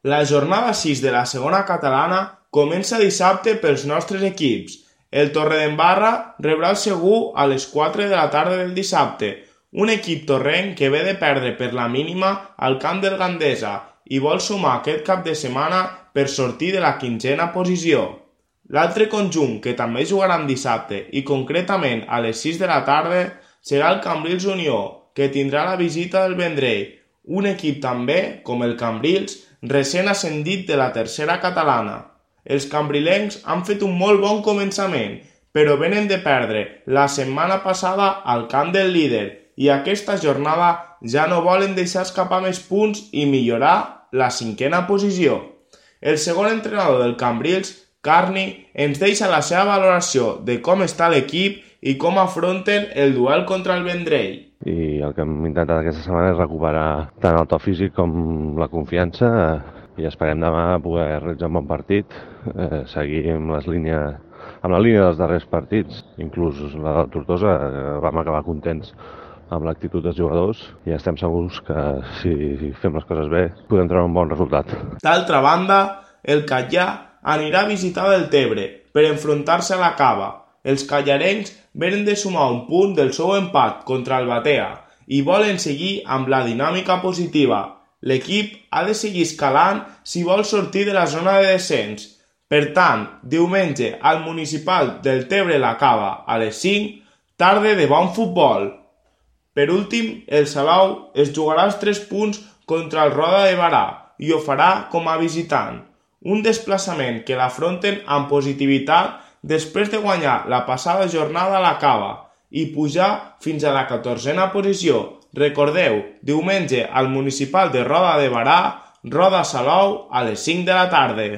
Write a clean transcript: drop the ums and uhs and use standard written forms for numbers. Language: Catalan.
La jornada 6 de la segona catalana comença dissabte pels nostres equips. El Torredembarra rebrà el Segur a les 4 de la tarda del dissabte, un equip torrenc que ve de perdre per la mínima al camp del Gandesa i vol sumar aquest cap de setmana per sortir de la quinzena posició. L'altre conjunt que també jugarà dissabte i concretament a les 6 de la tarda serà el Cambrils Unió, que tindrà la visita del Vendrell, un equip també, com el Cambrils, recent ascendit de la tercera catalana. Els cambrilencs han fet un molt bon començament, però venen de perdre la setmana passada al camp del líder i aquesta jornada ja no volen deixar escapar més punts i millorar la cinquena posició. El segon entrenador del Cambrils, Carni, ens deixa la seva valoració de com està l'equip i com afronten el duel contra el Vendrell. I el que hem intentat aquesta setmana és recuperar tant el to físic com la confiança i esperem demà poder realitzar un bon partit, seguir amb la línia dels darrers partits, inclús la del Tortosa, vam acabar contents amb l'actitud dels jugadors i estem segurs que si fem les coses bé podem treure un bon resultat. D'altra banda, el Catllà anirà a visitar el Tebre per enfrontar-se a la Cava. Els callarencs venen de sumar un punt del seu empat contra el Batea i volen seguir amb la dinàmica positiva. L'equip ha de seguir escalant si vol sortir de la zona de descens. Per tant, diumenge al Municipal del Tebre-la Cava a les 5, tarda de bon futbol. Per últim, el Salou es jugarà els 3 punts contra el Roda de Barà i ho farà com a visitant. Un desplaçament que l'afronten amb positivitat després de guanyar la passada jornada a la Cava i pujar fins a la 14a posició. Recordeu, diumenge al Municipal de Roda de Barà, Roda Salou a les 5 de la tarda.